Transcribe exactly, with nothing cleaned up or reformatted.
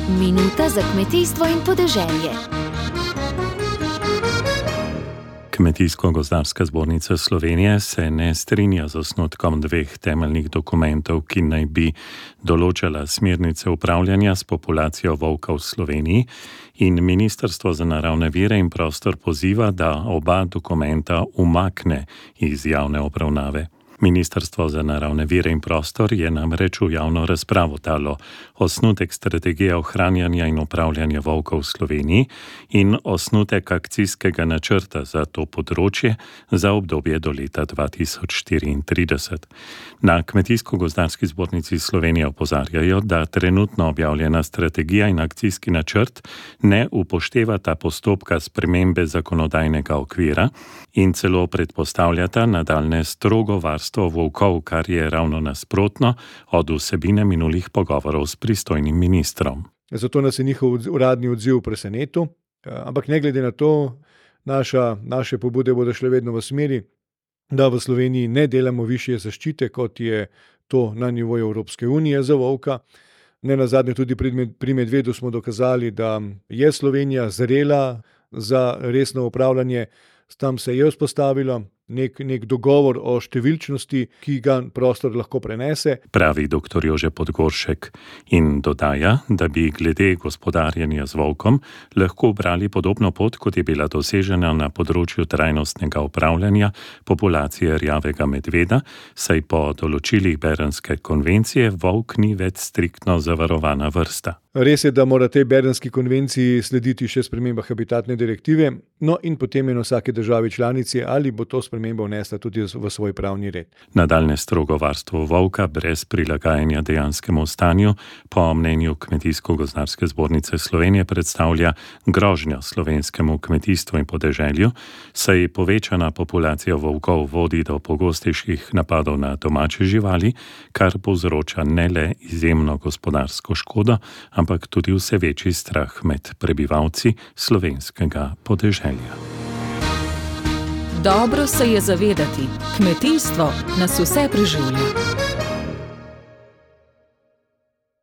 Minuta za kmetijstvo in podeželje. Kmetijsko-gozdarska zbornica Slovenije se ne strinja z osnutkom dveh temeljnih dokumentov, ki naj bi določala smernice upravljanja s populacijo volka v Sloveniji, in Ministrstvo za naravne vire in prostor poziva, da oba dokumenta umakne iz javne obravnave. Ministrstvo za naravne vire in prostor je namreč v javno razpravo dalo osnutek strategije ohranjanja in upravljanja volka v Sloveniji in osnutek akcijskega načrta za to področje za obdobje do leta dva tisoč štiriintrideset. Na Kmetijsko-gozdarski zbornici Slovenije opozarjajo, da trenutno objavljena strategija in akcijski načrt ne upoštevata postopka spremembe zakonodajnega okvira in celo predpostavljata nadaljnje strogo varstvo volkov, kar je ravno nasprotno od vsebine minulih pogovorov s pristojnim ministrom. Zato nas je njihov uradni odziv presenetil, ampak ne glede na to, naša, naše pobude bodo šle vedno v smeri, da v Sloveniji ne delamo višje zaščite, kot je to na nivoju Evropske unije za volka. Ne nazadnje tudi pri medvedu smo dokazali, da je Slovenija zrela za resno upravljanje. Tam se je vzpostavilo nek, nek dogovor o številčnosti, ki ga prostor lahko prenese. Pravi doktor Jože Podgoršek in dodaja, da bi glede gospodarjenja z volkom lahko brali podobno pot, kot je bila dosežena na področju trajnostnega upravljanja populacije rjavega medveda, saj po določilih Bernske konvencije volk ni več striktno zavarovana vrsta. Res je, da mora tej Bernski konvenciji slediti še sprememba habitatne direktive, no in potem je na vsake državi članici, ali bo to spremembo vnesla tudi v svoj pravni red. Nadaljnje strogo varstvo volka brez prilagajanja dejanskemu stanju po mnenju Kmetijsko-gozdarske zbornice Slovenije predstavlja grožnjo slovenskemu kmetijstvu in podeželju, saj povečana populacija volkov vodi do pogostejših napadov na domače živali, kar povzroča ne le izjemno gospodarsko škodo, ampak tudi vse večji strah med prebivalci slovenskega podeželja. Dobro se je zavedati, kmetijstvo nas vse preživlja.